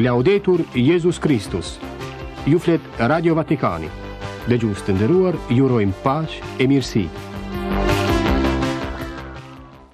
Laudetur Jezus Kristus. Ju flet Radio Vatikani. Dëgjues të nderuar, ju urojmë paqe e mirësi.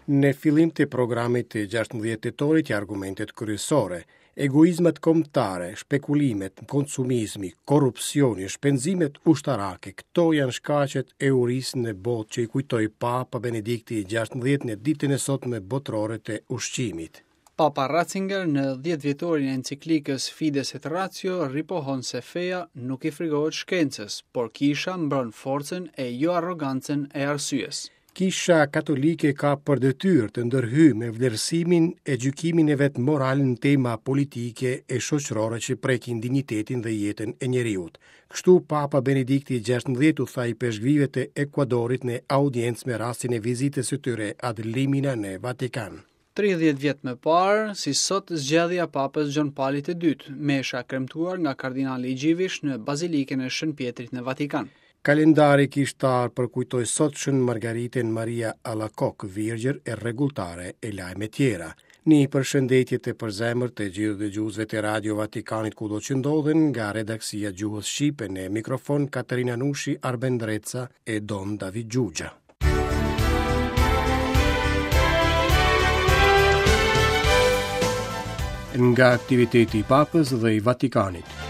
Në fillim të programit të 16 tetorit ja argumentet kryesore, egoizmat kombëtare, shpekulimet, konsumizmi, korrupsioni, shpenzimet ushtarake, këto janë shkaqet e urisë në botë që i kujtoi Papa Benedikti i 16 në ditën e sotme botërore të ushqimit. Papa Ratzinger në dhjetëvjetorin e enciklikës Fides et Ratio ripohon se feja nuk i frigohet shkencës, por kisha mbron forcën e jo arrogancën e arsyes. Kisha Katolike ka për detyrë të ndërhyjë me vlerësimin e gjykimin e vet moral në tema politike e shoqërore që prekin dinjitetin dhe jetën e njeriut. Kështu Papa Benedikti i 16 u tha ipeshkvijve të Ekuadorit në audiencë me rastin e vizitës së tyre ad limina në Vatikan. 30 vjet më parë, si sot zgjedhja e Papës Gjon Palit të Dytë, mesha e kremtuar nga kardinali Dziwisz në Bazilikën e Shën Pjetrit në Vatikan. Kalendari kishtar përkujtoi sot Shën Margaritën Maria Alakok, virgjër e rregulltare e lajme tjera. Një përshëndetje të përzemërt të gjithë dëgjuesve të Radio Vatikanit kudo që ndodhen nga redaksia e gjuhës shqipe në mikrofon Katerina Nushi, Arben Ndreca e Don David Xhuxha. Nga aktiviteti i Papës dhe i Vatikanit.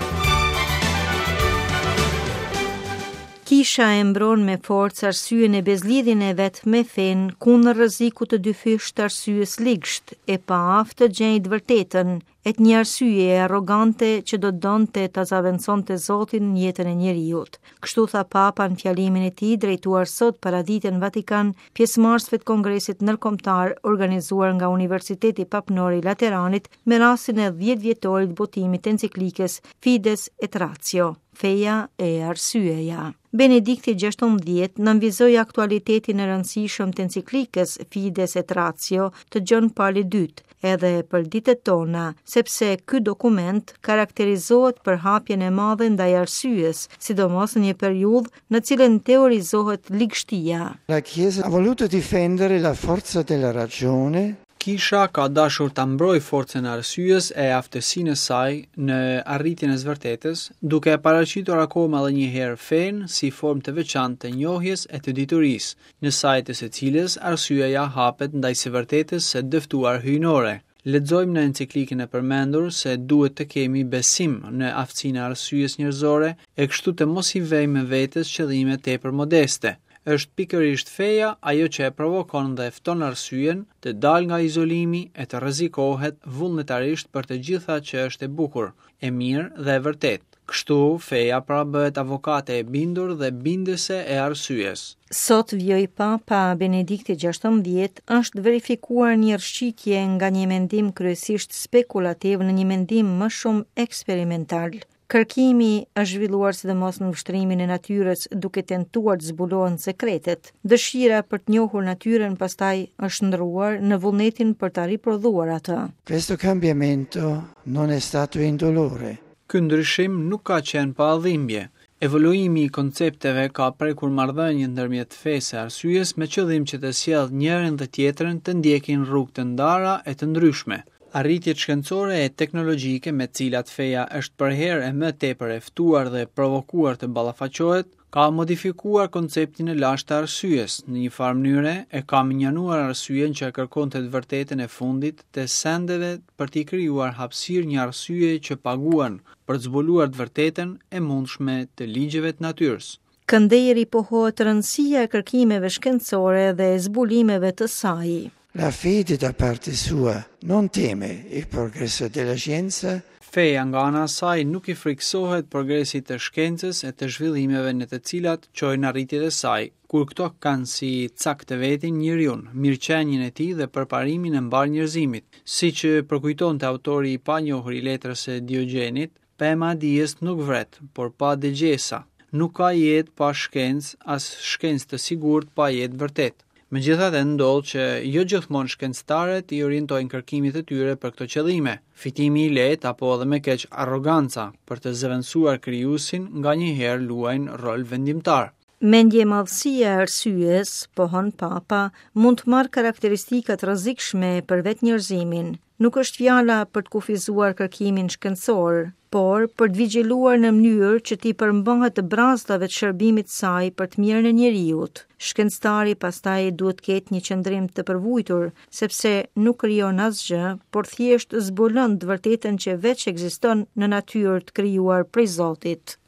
Kisha e mbron me forcë arsyen e bezlidhjen e vet me fenë kundër rrezikut të dyfishtë të arsyes ligsht, e paaftë të gjejë të vërtetën, e të një arsyeje arrogante që do të donte ta zavendësonte Zotin në jetën e njeriut. Kështu tha Papa në fjalimin e tij drejtuar sot paradite në Vatikan pjesëmarrësve të Kongresit Ndërkombëtar organizuar nga Universiteti Papnor i Lateranit me rastin e 10 vjetorit të botimit të enciklikës Fides et Ratio, Feja e Arsyeja. Benedikti 16 nënvizoi aktualitetin e rëndësishëm të enciklikës Fides et Ratio të Gjon Palit II, edhe për ditët tona, sepse ky dokument karakterizohet për hapjen e madhe ndaj arsyes, sidomos në një periudhë në cilën teorizohet ligështia. La Chiesa ha voluto difendere la forza della ragione Kisha ka dashur ta mbrojë forcën e arsyes e aftësinë e saj në arritjen e së vërtetës, duke e paraqitur akoma edhe një herë fenë si formë të veçantë të njohjes e të diturisë, në sajë të së cilës arsyeja hapet ndaj së vërtetës së dëftuar hyjnore. Lexojmë në enciklikën e përmendur se duhet të kemi besim në aftësinë e arsyes njerëzore e kështu të mos i vejmë vetes qëllime tepër modeste. Është pikërisht feja ajo që e provokon dhe e fton arsyen të dalë nga izolimi e të rrezikohet vullnetarisht për të gjitha që është e bukur, e mirë dhe e vërtetë. Kështu, feja pra bëhet avokate e bindur dhe bindëse e arsyes. Sot, vijoi Papa Benedikti 16, është verifikuar një rrëshqitje nga një mendim kryesisht spekulativ në një mendim më shumë eksperimental. Kërkimi është zhvilluar sidomos në vështrimin e natyrës, duke tentuar të zbulohen sekretet. Dëshira për të njohur natyrën pastaj është shndërruar në vullnetin për ta riprodhuar atë. Questo cambiamento non è stato indolore. Ky ndryshim nuk ka qenë pa dhimbje. Evoluimi i koncepteve ka prekur marrëdhëniet ndërmjet fesë e arsyes me qëllim që të sjellë njërin dhe tjetrën të ndjekin rrugë të ndara e të ndryshme. Arritjet shkencore e teknologjike me të cilat feja është përherë e më tepër e ftuar dhe e provokuar të ballafaqohet, ka modifikuar konceptin e lashtë të arsyes, në një farë mënyre e ka mënjanuar arsyen që e kërkonte të vërtetën e fundit të sendeve për t'i krijuar hapësirë një arsyeje që paguan për të zbuluar të vërtetën e mundshme të ligjeve të natyrës. Këndej ripohohet rëndësia e kërkimeve shkencore dhe e zbulimeve të saj. La fede da parte sua non teme il progresso della scienza. Feja nga ana e saj nuk i frikësohet progresit të shkencës e të zhvillimeve në të cilat çojnë arritjet e saj, kur këto kanë si cak të vetin njeriun, mirëqenien e tij dhe përparimin e mbarë njerëzimit. Siç përkujtonte autori i panjohur i letrës së Diogjenit, Pema e dijes nuk vret, por pa dëgjesa. Nuk ka jetë pa shkencë, as shkencë të sigurt pa jetë të vërtetë. Megjithatë ndodh që jo gjithmonë shkencëtarët i orientojnë kërkimet e tyre për këto qëllime. Fitimi i lehtë apo edhe më keq arroganca për të zëvendësuar krijuesin nganjëherë luajnë rol vendimtar. Mendjemadhësia e arsyes, pohon Papa, mund të marrë karakteristika të rrezikshme për vetë njerëzimin. Nuk është fjala për të kufizuar kërkimin shkencor, por për të vigjiluar në mënyrë që t'i përmbahet brazdave të shërbimit të saj për të mirën e njeriut. Shkencëtari pastaj duhet të ketë një qëndrim të përvujtur, sepse nuk krijon asgjë, por thjesht zbulon të vërtetën që veç ekziston në natyrë të krijuar prej Zotit.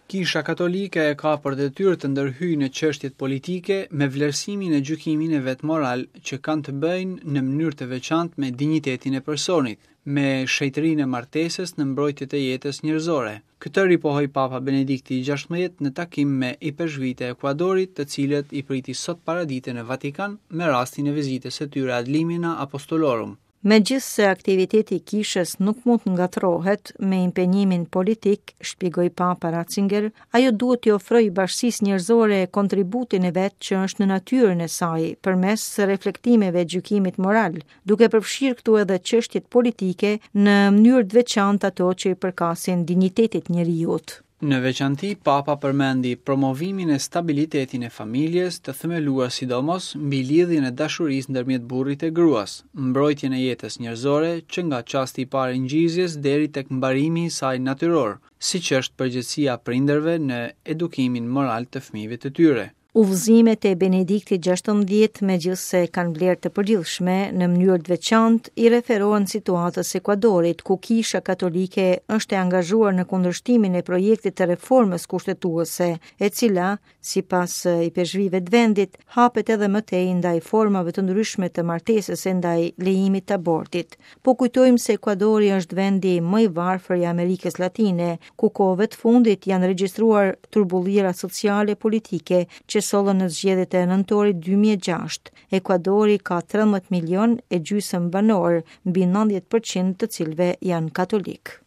Kisha Katolike e ka për detyrë të ndërhyjë në çështjet politike me vlerësimin e gjykimin e vet moral që kanë të bëjnë në mënyrë të veçantë me dinjitetin e personit, me shenjtërinë e martesës në mbrojtje të jetës njerëzore. Këtë ripohoi Papa Benedikti i 16 në takim me ipeshkvijtë e Ekuadorit, të cilët i priti sot paradite në Vatikan me rastin e vizitës së tyre ad limina apostolorum. Megjithëse aktiviteti i kishës nuk mund të ngatërrohet me impenjimin politik, shpjegoi Papa Ratzinger, ajo duhet t'i ofrojë bashkësisë njerëzore kontributin e vet që është në natyrën e saj, përmes reflektimeve e gjykimit moral, duke përfshirë këtu edhe çështjet politike në mënyrë të veçantë ato që i përkasin dinjitetit të njeriut. Në veçanti, Papa përmendi promovimin e stabilitetin e familjes, të themeluar sidomos mbi lidhjen e dashurisë ndërmjet burrit e gruas, mbrojtjen e jetës njerëzore që nga çasti i parë i ngjizjes deri tek mbarimi i saj natyror, siç është përgjegjësia e prindërve në edukimin moral të fëmijëve të tyre. Udhëzimet e Benediktit 16, megjithëse kanë vlerë të përgjithshme, në mënyrë të veçantë i referohen situatës së Ekuadorit, ku Kisha Katolike është e angazhuar në kundërshtimin e projektit të reformës kushtetuese, e cila, sipas ipeshkvijve të vendit, hapet edhe më tej ndaj formave të ndryshme të martesës e ndaj lejimit të abortit. Po kujtojmë se Ekuadori është vendi më i varfër i Amerikës Latine, ku kohëve të fundit janë regjistruar turbullira sociale e politike që sollën në zgjedhjet e nëntorit 2006. Ekuadori ka 13 milion e gjysmë banorë, mbi 90% të cilëve janë katolikë.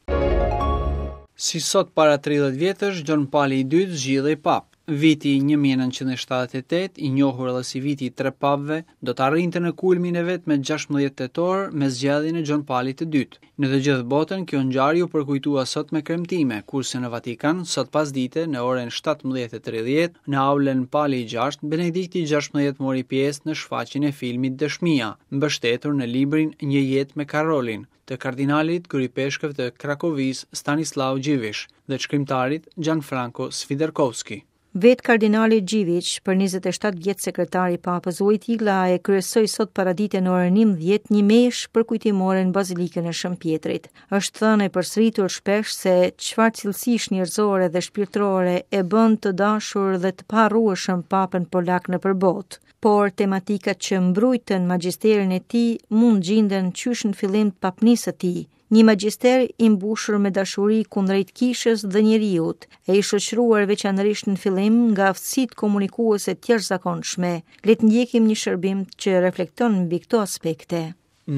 Si sot para 30 vjetësh, Gjon Pali i II zgjidhej papë. Viti 1978, i njohur edhe si viti i tre papëve, do të arrinte në kulmin e vet me 16 tetor me zgjedhjen e Gjon Palit të Dytë. Në të gjithë botën kjo ngjarje u përkujtua sot me kremtime, kurse në Vatikan, sot pasdite në orën 17:30, në aulën Pali i VI, Benedikti i XVI mori pjesë në shfaqjen e filmit Dëshmia, mbështetur në librin Një jetë me Karolin, të kardinalit kryeipeshkëv të Krakovisë Stanislav Dziwisz dhe shkrimtarit Gianfranco Swiderkowski. Vetë kardinali Dziwisz, për 27 vjet sekretar i Papës Wojtyla, e kryesoi sot paradite në orën 11 një meshë përkujtimore në Bazilikën e Shën Pjetrit. Është thënë e përsëritur shpesh se çfarë cilësish njerëzore dhe shpirtërore e bën të dashur dhe të paharrueshëm Papën polak nëpër botë. Por tematikat që mbrujtën magjisterin e tij mund gjinden qysh në fillim të papnisë së tij. Një magjister i mbushur me dashuri kundrejt kishës dhe njeriut, e i shoqëruar veçanërisht në fillim nga aftësitë komunikuese të jashtëzakonshme. Le të ndjekim një shërbim që reflekton mbi këto aspekte.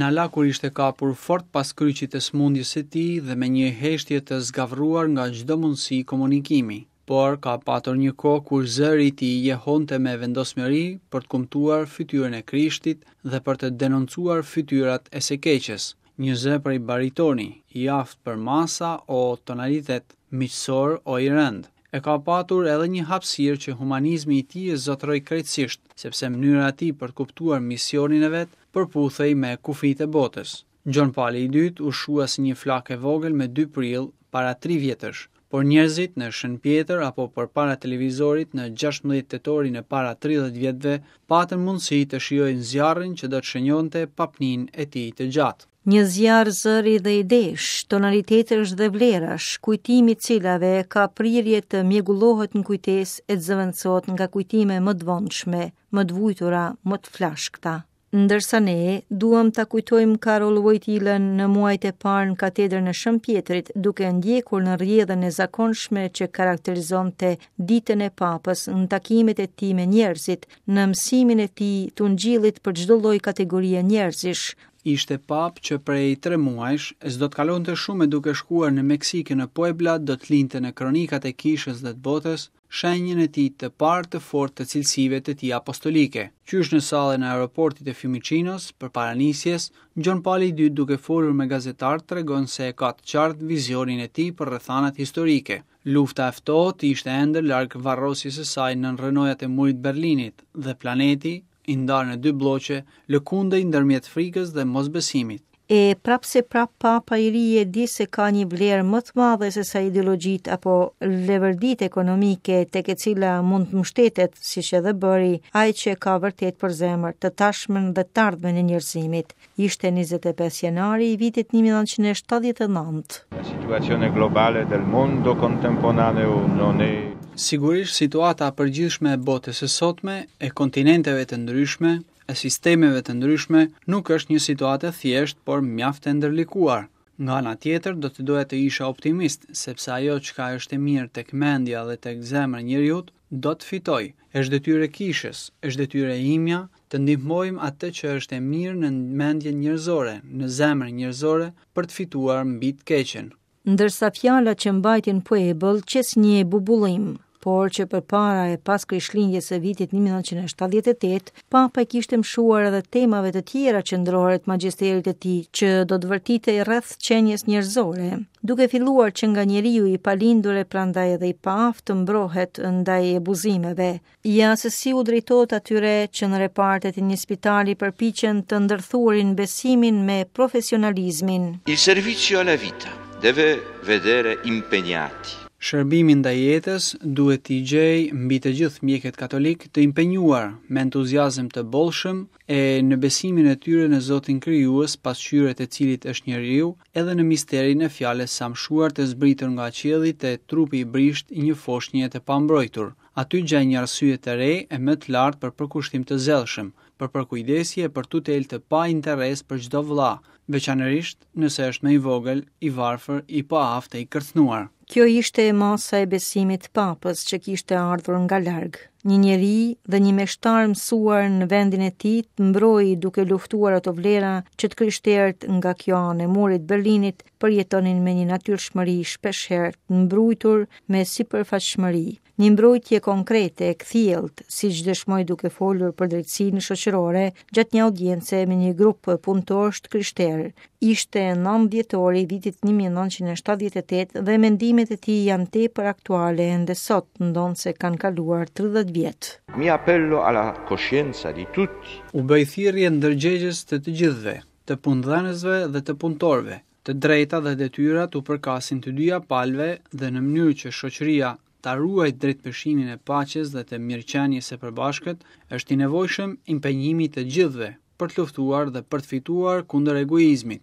Na la kur ishte kapur fort pas kryqit të sëmundjes së tij dhe me një heshtje të zgavruar nga çdo mundësi komunikimi. Por ka patur një kohë kur zëri i tij jehonte me vendosmëri për të kumtuar fytyrën e Krishtit dhe për të denoncuar fytyrat e së keqes. Një zë prej baritoni, i aftë për masa o tonalitet, miqësor o i rëndë. E ka patur edhe një hapësirë që humanizmi i tij e zotëroi krejtësisht, sepse mënyra e tij për të kuptuar misionin e vet përputhej me kufijtë e botës. Gjon Pali i Dytë u shua si një flakë e vogël me 2 prill para 3 vjetësh, por njerëzit në Shën Pjetër apo përpara televizorit në 16 tetorin e para 30 vjetëve patën mundësi të shijojnë zjarrin që do të shenjonte papninë e tij të gjatë. Një zjarr zëri dhe idesh, tonalitetesh dhe vlerash, kujtimi i të cilave ka prirje të mjegullohet në kujtesë e të zëvendësohet nga kujtime më të vonshme, më të vujtura, më të flashkëta. Ndërsa ne duam ta kujtojmë Karol Wojtylën në muajt e parë në katedrën e Shën Pjetrit, duke ndjekur në rrjedhën e zakonshme që karakterizonte ditën e Papës në takimet e tij me njerëzit, në mësimin e tij të ungjillit për çdo lloj kategorie njerëzish, Ishte papë që prej tre muajsh, e s'do të kalonte shumë e duke shkuar në Meksikë e në Puebla do të linte në kronikat e kishës dhe të botës shenjën e tij të parë të fortë të cilësive të tij apostolike. Qysh në sallën e aeroportit të Fiumicinos, përpara nisjes, Gjon Pali i Dytë duke folur me gazetarët tregon se e ka të qartë vizionin e tij për rrethanat historike. Lufta e ftohtë ishte ende larg varrosjes së saj nën rrënojat e Murit të Berlinit dhe planeti. i ndarë në dy blloqe, lëkundej ndërmjet frikës dhe mosbesimit. E prapëseprapë Papa i ri e di se ka një vlerë më të madhe se sa ideologjitë apo levërditë ekonomike tek e cila mund të mbështetet, siç edhe bëri, ai që e ka vërtet për zemër të tashmen dhe të ardhmen e njerëzimit. Ishte 25 janari i vitit 1979. La situazione globale del mondo contemporaneo non è Sigurisht situata e përgjithshme e botës së sotme, e kontinenteve të ndryshme, e sistemeve të ndryshme, nuk është një situatë e thjeshtë, por mjaft e ndërlikuar. Nga ana tjetër, do të doja të isha optimist, sepse ajo çka është e mirë tek mendja dhe tek zemra e njeriut, do të fitojë. Është detyrë e kishës, është detyrë e imja të ndihmojmë atë që është e mirë në mendjen njerëzore, në zemrën njerëzore për të fituar mbi të keqen. Ndërsa fjala që mbajti në Puebël qe si një bubullimë, por që përpara e pas Krishtlindjes së vitit 1978, Papa i kishte mëshuar edhe temave të tjera qendrore të magjisterit të tij, që do të vërtitej rreth qenies njerëzore, duke filluar që nga njeriu i palindur e prandaj edhe i paaftë të mbrohet ndaj abuzimeve. Ja se si u drejtohet atyre që në repartet e një spitali përpiqen të ndërthurin besimin me profesionalizmin. Il servizio alla vita deve vedere impegnati Shërbimi ndaj jetës duhet t'i gjejë mbi të gjithë mjekët katolikë të impenjuar me entuziazëm të bollshëm e në besimin e tyre në Zotin Krijues, pasqyrë e të cilit është njeriu, edhe në misterin e fjalës së amshuar të zbritur nga qielli te trupi i brishtë i një foshnje të pambrojtur. Aty gjejnë një arsye të re e më të lartë për përkushtim të zellshëm, për përkujdesje e për tutelë të pa interes për çdo vëlla, veçanërisht nëse është më i vogël, i varfër, i paaftë e i kërcënuar. Kjo ishte masa e besimit të Papës që kishte ardhur nga larg. Një njeri dhe një meshtar mësuar në vendin e tij të mbrojë duke luftuar ato vlera që të krishterët nga kjo anë e murit të Berlinit përjetonin me një natyrshmëri shpeshherë të mbrujtur me sipërfaqshmëri. Një mbrojtje konkrete e kthjelltë, siç dëshmoi duke folur për drejtësinë shoqërore gjatë një audience me një grup punëtorësh të krishterë. Ishte 9 dhjetori i vitit 1978 dhe mendimet e tij janë tepër aktuale ende sot, ndonëse kanë kaluar 30 vjet. Mi appello alla coscienza di tutti. U bëj thirrje ndërgjegjes të të gjithëve, të punëdhënësve dhe të punëtorëve, Të drejtat dhe detyrat u përkasin të dyja palëve dhe në mënyrë që shoqëria ta ruajë drejtpeshimin e paqes dhe të mirëqenies së përbashkët, është i nevojshëm impenjimi i të gjithëve për të luftuar dhe për të fituar kundër egoizmit.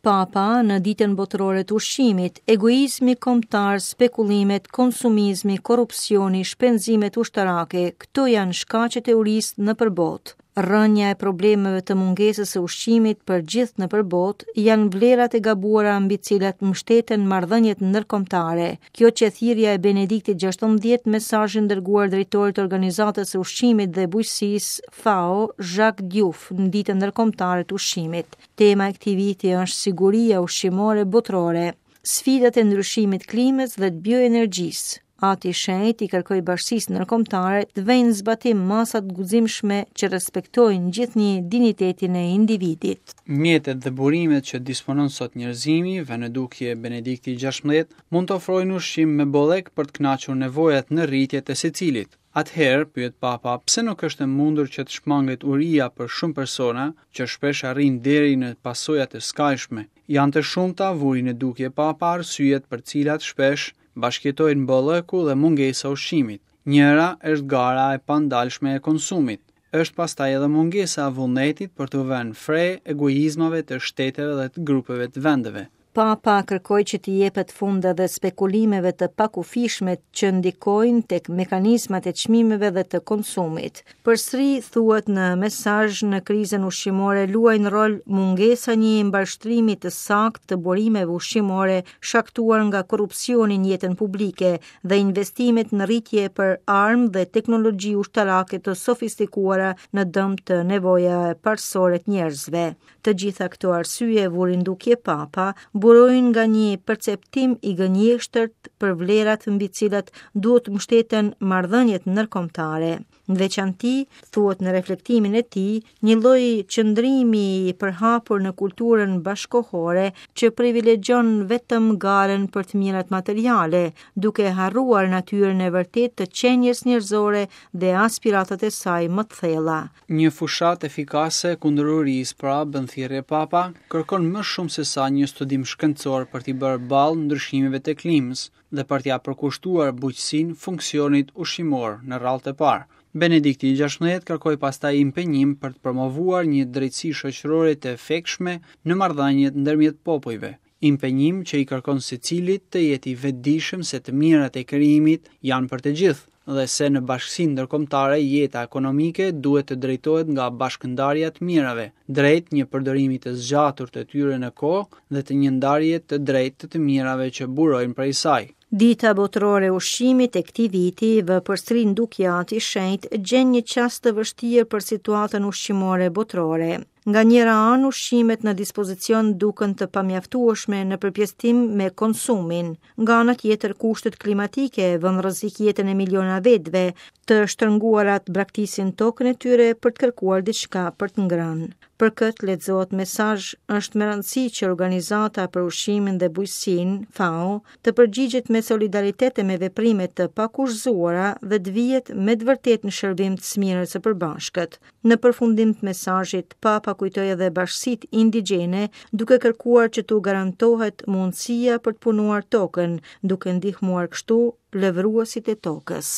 Papa në ditën botërore të ushqimit, egoizmi kombëtar, spekulimet, konsumizmi, korrupsioni, shpenzimet ushtarake, këto janë shkaqet e urisë nëpër botë. Rrënja e problemeve të mungesës së ushqimit për gjithë nëpër botë janë vlerat e gabuara mbi të cilat mbështeten marrëdhëniet ndërkombëtare. Kjo qe thirrja e Benediktit XVI mesazhin dërguar drejtorit të Organizatës së Ushqimit dhe Bujqësisë FAO, Jacques Diouf, në Ditën Ndërkombëtare të Ushqimit. Tema e këtij viti është siguria ushqimore botërore, sfidat e ndryshimit të klimës dhe të bioenergjisë. Ati i Shenjtë i kërkoi bashkësisë ndërkombëtare të vejnë në zbatim masa të guximshme që respektojnë gjithnjë dinjitetin e individit. Mjetet dhe burimet që disponon sot njerëzimi, vë në dukje Benedikti XVI, mund të ofrojnë ushqim me bollëk për të kënaqur nevojat në rritje të secilit. Atëherë, pyet Papa, pse nuk është e mundur që të shmanget uria për shumë persona, që shpesh arrin deri në pasoja të skajshme? Janë të shumta, vuri në dukje Papa, arsyet për të cilat shpesh bashkëjetojnë bollëku dhe mungesa e ushqimit. Njëra është gara e pandalshme e konsumit. Është pastaj edhe mungesa e vullnetit për t'u vënë fre egoizmave të shteteve dhe të grupeve të vendeve. Papa kërkoi që t'i jepet fund edhe spekulimeve të pakufishme që ndikojnë tek mekanizmat e çmimeve dhe të konsumit. Përsëri thuhet në mesazh në krizën ushqimore luajnë rol mungesa e një mbarështrimi të saktë të burimeve ushqimore shkaktuar nga korrupsioni në jetën publike dhe investimet në rritje për armë dhe teknologji ushtarake të sofistikuara në dëm të nevojave parësore të njerëzve. Të gjitha këto arsye vuri në dukje Papa, burojnë nga një perceptim i gënjeshtërt për vlerat mbi të cilat duhet të mbështeten marrëdhëniet ndërkombëtare. Në veçanti, thuhet në reflektimin e tij, një lloj qëndrimi i përhapur në kulturën bashkëkohore që privilegjon vetëm garën për të mirat materiale, duke harruar natyrën e vërtetë të qenies njerëzore dhe aspiratat e saj më të thella. Një fushatë efikase kundër urisë, pra, bën thirrje Papa, kërkon më shumë sesa një studim shkencor për t'i bërë ballë ndryshimeve të klimës dhe për t'ia përkushtuar bujqësinë funksionit ushqimor në radhë të parë. Benedikti i XVI kërkoi pastaj impenjim për të promovuar një drejtësi shoqërore të efektshme në marrëdhëniet ndërmjet popujve, impenjim që i kërkon secilit të jetë i vetëdijshëm se të mirat e krijimit janë për të gjithë dhe se në bashkësinë ndërkombëtare jeta ekonomike duhet të drejtohet nga bashkëndarja e të mirave, drejt një përdorimi të zgjatur të tyre në kohë dhe të një ndarje të drejtë të të mirave që burojnë prej saj. Dita Botërore e Ushqimit e këtij viti, vë përsëri në dukje Ati i Shenjtë, gjen një çast të vështirë për situatën ushqimore botërore. Nga njëra anë, ushqimet në dispozicion duken të pamjaftueshme në përpjesëtim me konsumin. Nga ana tjetër, kushtet klimatike vënë në rrezik jetën e miliona vetëve, të shtrënguara të braktisin tokën e tyre për të kërkuar diçka për të ngrënë. Për këtë lexohet në mesazh, është me rëndësi që Organizata për Ushqimin dhe Bujqësinë, FAO, të përgjigjet me solidaritet e me veprime të pakushtëzuara dhe të vihet me të vërtetë në shërbim të së mirës së përbashkët. Në përfundim të mesazhit, Papa kujtoi edhe bashkësitë indigjene, duke kërkuar që t'u garantohet mundësia për të punuar tokën, duke ndihmuar kështu lëvruesit e tokës.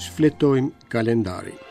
Shfletojmë kalendarin.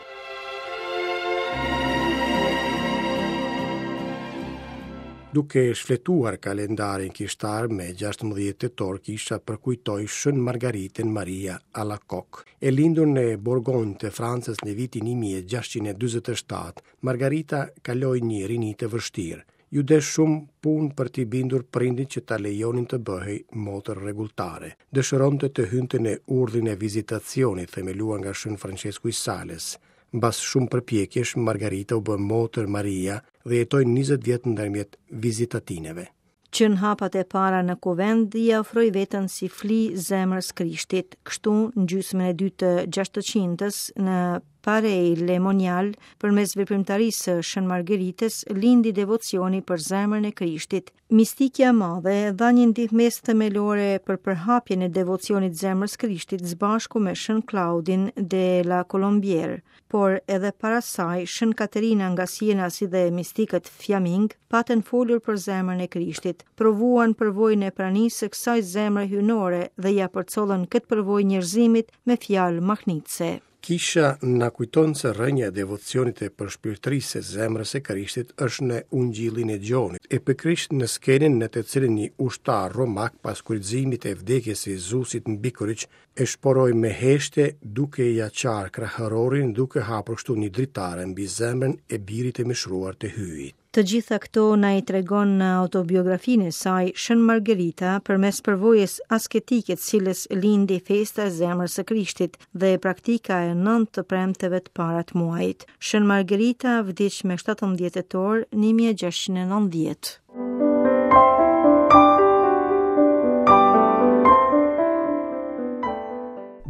Duke shfletuar kalendarin kishtar me 16 tetor kisha përkujtoi Shën Margaritën Maria Alacoque. E lindur në Borgonjë të Francës në vitin 1647, Margarita kaloi një rini të vështirë. Iu desh shumë punë për t'i bindur prindërit që ta lejonin të bëhej motër rregulltare. Dëshironte të hynte në urdhrin e vizitacionit, themeluar nga Shën Françesku i Sales. Mbas shumë përpjekjesh, Margarita u bë motër Maria dhe jetoi 20 vjet ndërmjet vizitatineve. Që në hapat e para në kuvend ia ofroi veten si fli zemrës Krishtit. Kështu, në gjysmën e dytë të gjashtëqindës, në Paray-le-Monial, përmes veprimtarisë së Shën Margeritës, lindi devocioni për zemrën e Krishtit. Mistikja e madhe dha një ndihmesë themelore për përhapjen e devocionit zemrës Krishtit së bashku me Shën Klaudin de la Colombière. Por edhe para saj, Shën Katerina nga Siena si dhe mistikët fjamingë patën folur për zemrën e Krishtit, provuan përvojën e pranisë së kësaj zemre hyjnore dhe ia përcollën këtë përvojë njerëzimit me fjalë mahnitëse. Kisha na kujton se rrënja e devocionit e përshpirtërisë së zemrës së Krishtit është në Ungjillin e Gjonit, e pikërisht në skenën në të cilën një ushtar romak pas kryqëzimit e vdekjes së Jezusit mbi kryq E shporoi me heshtje duke ia çarë kraharorin duke hapur kështu një dritare mbi zemrën e birit të mishëruar të Hyjit. Të gjitha këto na i tregon në autobiografinë e saj Shën Margerita përmes përvojës asketike të cilës lindi festa e zemrës së Krishtit dhe praktika e nëntë të premteve të para të muajit. Shën Margerita vdiq me 17 tetor 1690.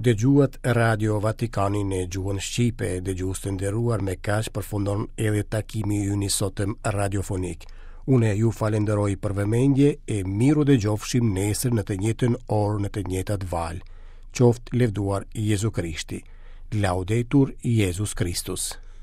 Dëgjuat Radio Vatikanin në gjuhën shqipe, dëgjues të nderuar me kaq përfundon edhe takimi ynë i sotëm radiofonik. Unë ju falenderoj për vëmendje e mirudëgjofshim nesër në të njëjtën orë në të njëjtat valë. Qoftë lëvduar Jezu Krishti. Laudetur Jezus Kristus.